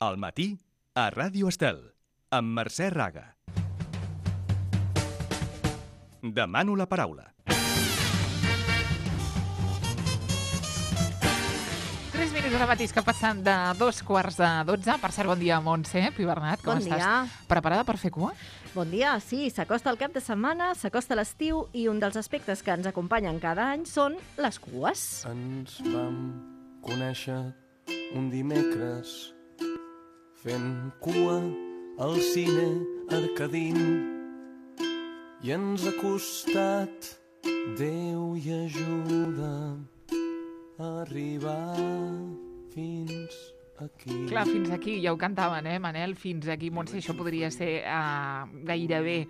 Al matí, a Ràdio Estel, amb Mercè Raga. Demano la paraula. 3 minuts ara mateix que passen de 2:45. Per cert, bon dia, Montse Pibernat, com estàs? Bon dia. Preparada per fer cua? Bon dia, sí, s'acosta el cap de setmana, s'acosta l'estiu i un dels aspectes que ens acompanyen cada any són les cues. Ens vam conèixer un dimecres fent cua al cine Arcadín i ens ha costat, Déu i ajuda, arribar fins aquí. Clar, fins aquí, ja ho cantaven, Manel? Fins aquí, Montse, això podria ser gairebé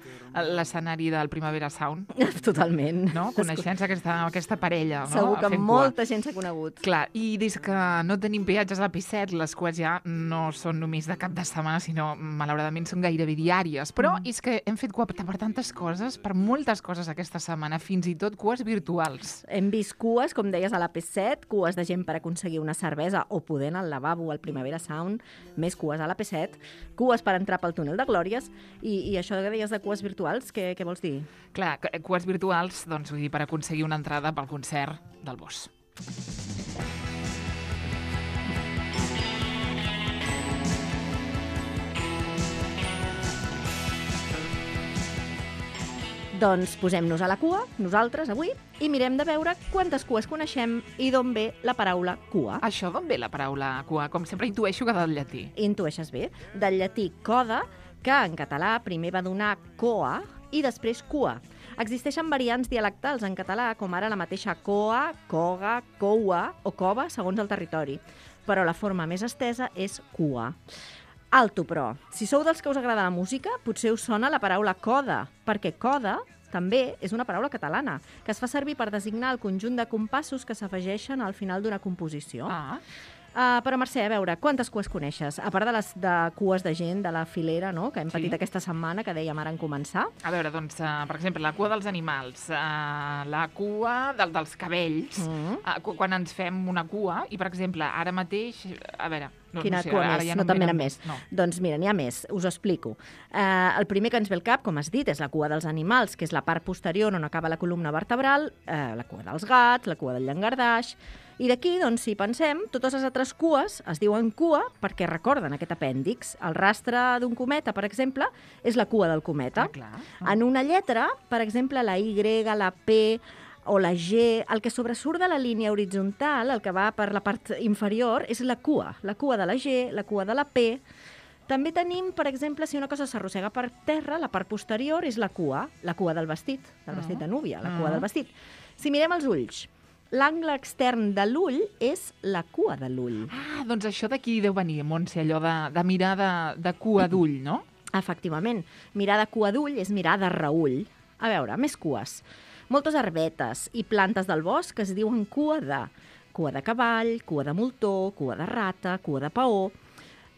l'escenari del Primavera Sound, Totalment. no? Coneixent aquesta parella, no? Segur que Fent cua. molta gent s'ha conegut. Clar, i des que no tenim peatges a la P7, les cues ja no són només de cap de setmana, sinó, malauradament, són gairebé diàries. Però és que hem fet cua per tantes coses, per moltes coses aquesta setmana, fins i tot cues virtuals. Hem vist cues, com deies, a la P7, cues de gent per aconseguir una cervesa o poder anar al lavabo al Primavera Sound, més cues a la P7, cues per entrar pel túnel de Glòries, i això que deies de cues virtuals, què vols dir? Clar, cues virtuals, doncs, vull dir, per aconseguir una entrada pel concert del Bosch. Doncs posem-nos a la cua, nosaltres, avui, i mirem de veure quantes cues coneixem i d'on ve la paraula cua. Això d'on ve la paraula cua? Com sempre intueixo que del llatí. Intueixes bé. Del llatí coda, que en català primer va donar coa i després cua. Existeixen variants dialectals en català, com ara la mateixa coa, coga, coua o cova, segons el territori. Però la forma més estesa és cua. Alto, però. Si sou dels que us agrada la música, potser us sona la paraula coda, perquè coda també és una paraula catalana, que es fa servir per designar el conjunt de compassos que s'afegeixen al final d'una composició. Però, Mercè, a veure, quantes cues coneixes? A part de les de cues de gent de la filera, no?, que hem patit aquesta setmana, que dèiem ara en començar. A veure, doncs, per exemple, la cua dels animals, la cua dels cabells, quan ens fem una cua, i, per exemple, ara mateix, a veure... Quina cua més? Ja no te'n venen més. No. Doncs mira, n'hi ha més, us ho explico. El primer que ens ve al cap, com has dit, és la cua dels animals, que és la part posterior on acaba la columna vertebral, la cua dels gats, la cua del llangardaix. I d'aquí, doncs, si pensem, totes les altres cues es diuen cua perquè recorden aquest apèndix. El rastre d'un cometa, per exemple, és la cua del cometa. En una lletra, per exemple, la Y, la P o la G, el que sobresurt de la línia horitzontal, el que va per la part inferior, és la cua de la G, la cua de la P. També tenim, per exemple, si una cosa s'arrossega per terra, la part posterior és la cua del vestit de núvia, la cua del vestit. Si mirem els ulls, l'angle extern de l'ull és la cua de l'ull. Doncs això d'aquí deu venir, Montse, allò de mirar de cua d'ull, no? Efectivament. Mirar de cua d'ull és mirar de reull. A veure, més cues. Moltes herbetes i plantes del bosc que es diuen cua de cavall, cua de moltó, cua de rata, cua de paó.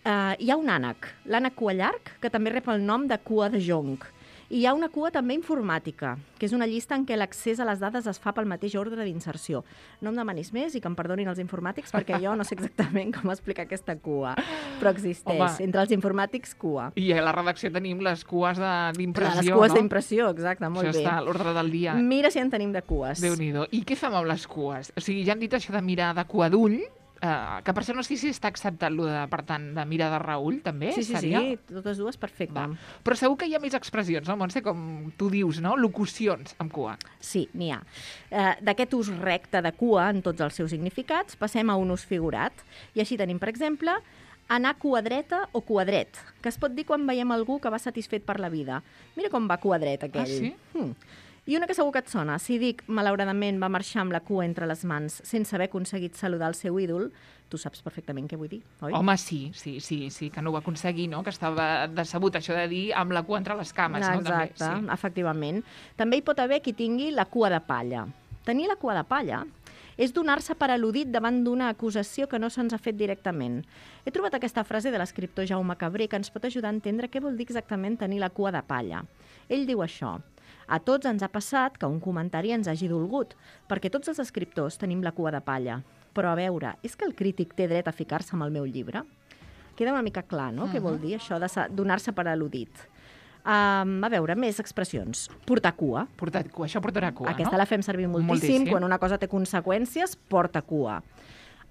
Hi ha un ànec, l'ànec cua llarg, que també rep el nom de cua de jonc. I hi ha una cua també informàtica, que és una llista en què l'accés a les dades es fa pel mateix ordre d'inserció. No em demanis més i que em perdonin els informàtics perquè jo no sé exactament com explicar aquesta cua, però existeix. Home. Entre els informàtics, cua. I a la redacció tenim les cues d'impressió, les cues d'impressió, exacte, molt bé. Això està a l'ordre del dia. Mira si en tenim de cues. Déu-n'hi-do. I què fem amb les cues? O sigui, ja hem dit això de mirar de cua d'ull, que per això no sé si està acceptat per tant, de mirar de reull, també? Sí, totes dues, perfecte. Però segur que hi ha més expressions, no, Montse? Com tu dius, no? Locucions amb cua. Sí, n'hi ha. D'aquest ús recte de cua en tots els seus significats, passem a un ús figurat. I així tenim, per exemple, anar cua dreta o cua dret, que es pot dir quan veiem algú que va satisfet per la vida. Mira com va cua dret, aquell. Ah, sí? I una que segur que et sona. Si dic, malauradament, va marxar amb la cua entre les mans sense haver aconseguit saludar el seu ídol, tu saps perfectament què vull dir, oi? Home, sí, que no ho va aconseguir, no? Que estava decebut, això de dir amb la cua entre les cames, no? Exacte, efectivament. També hi pot haver qui tingui la cua de palla. Tenir la cua de palla és donar-se per al·ludit davant d'una acusació que no se'ns ha fet directament. He trobat aquesta frase de l'escriptor Jaume Cabré que ens pot ajudar a entendre què vol dir exactament tenir la cua de palla. Ell diu això: a tots ens ha passat que un comentari ens hagi dolgut, perquè tots els escriptors tenim la cua de palla. Però a veure, és que el crític té dret a ficar-se amb el meu llibre? Queda una mica clar, no?, què vol dir això de donar-se per al·ludit. A veure, més expressions. Portar cua. Portar cua, això portarà cua, Aquesta la fem servir moltíssim. Quan una cosa té conseqüències, porta cua.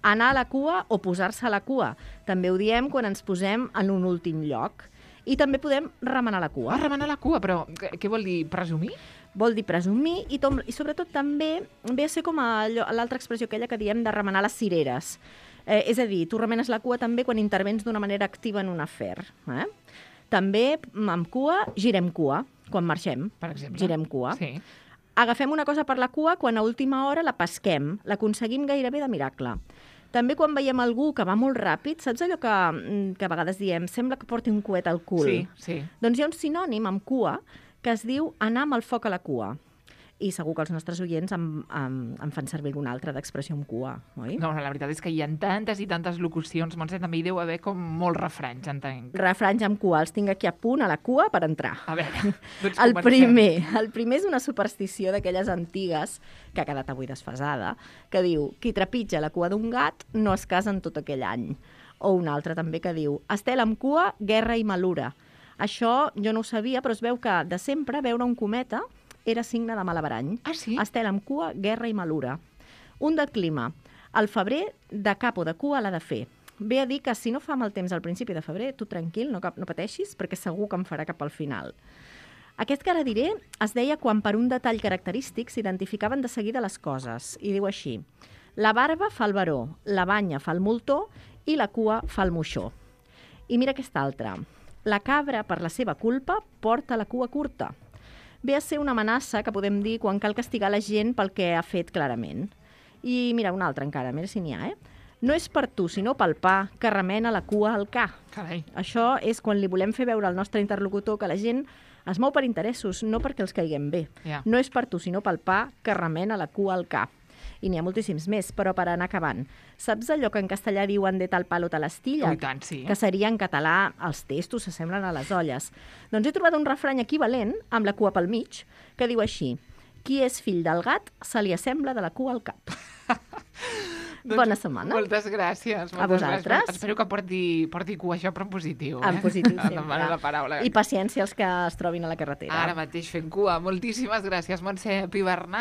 Anar a la cua o posar-se a la cua. També ho diem quan ens posem en un últim lloc. I també podem remenar la cua. Remenar la cua, però què vol dir? Presumir? Vol dir presumir i sobretot també ve a ser com l'altra expressió aquella que diem de remenar les cireres. És a dir, tu remenes la cua també quan intervens d'una manera activa en un afer. També, amb cua, girem cua, quan marxem. Per exemple. Girem cua. Sí. Agafem una cosa per la cua quan a última hora la pesquem. L'aconseguim gairebé de miracle. També quan veiem algú que va molt ràpid, saps allò que a vegades diem, sembla que porti un coet al cul? Sí. Doncs hi ha un sinònim amb cua que es diu anar amb el foc a la cua. I segur que els nostres oients em fan servir alguna altra d'expressió amb cua, oi? No, la veritat és que hi ha tantes i tantes locucions, Montse, també hi deu haver com molts refranys, entenc. Refranys amb cua, els tinc aquí a punt, a la cua, per entrar. A veure, doncs el primer és una superstició d'aquelles antigues, que ha quedat avui desfasada, que diu, qui trepitja la cua d'un gat no es casa en tot aquell any. O una altra també que diu, estel amb cua, guerra i malura. Això jo no ho sabia, però es veu que de sempre veure un cometa era signe de malabarany. Ah, sí? Estel amb cua, guerra i malura. Un del clima. Al febrer, de cap o de cua l'ha de fer. Ve a dir que si no fa mal temps al principi de febrer, tu tranquil, no pateixis, perquè segur que en farà cap al final. Aquest que ara diré es deia quan per un detall característic s'identificaven de seguida les coses. I diu així, la barba fa el baró, la banya fa el moltó i la cua fa el moixó. I mira aquesta altra. La cabra, per la seva culpa, porta la cua curta. Ve a ser una amenaça que podem dir quan cal castigar la gent pel que ha fet clarament. I mira, una altra encara, mira si n'hi ha, No és per tu, sinó pel pa, que remena la cua al ca. Carai. Això és quan li volem fer veure al nostre interlocutor que la gent es mou per interessos, no perquè els caiguem bé. Ja. No és per tu, sinó pel pa, que remena la cua al ca. I n'hi ha moltíssims més, però per anar acabant. Saps allò que en castellà diuen de tal palo tal astilla? I tant, sí. Que seria en català els testos s'assemblen a les olles. Doncs he trobat un refrany equivalent, amb la cua pel mig, que diu així, qui és fill del gat se li assembla de la cua al cap. Doncs bona setmana. Moltes gràcies. A vosaltres. Espero que porti cua això, però en positiu. En positiu, sempre. Demano la paraula. I paciència als que es trobin a la carretera. Ara mateix fent cua. Moltíssimes gràcies, Montse Pibernat.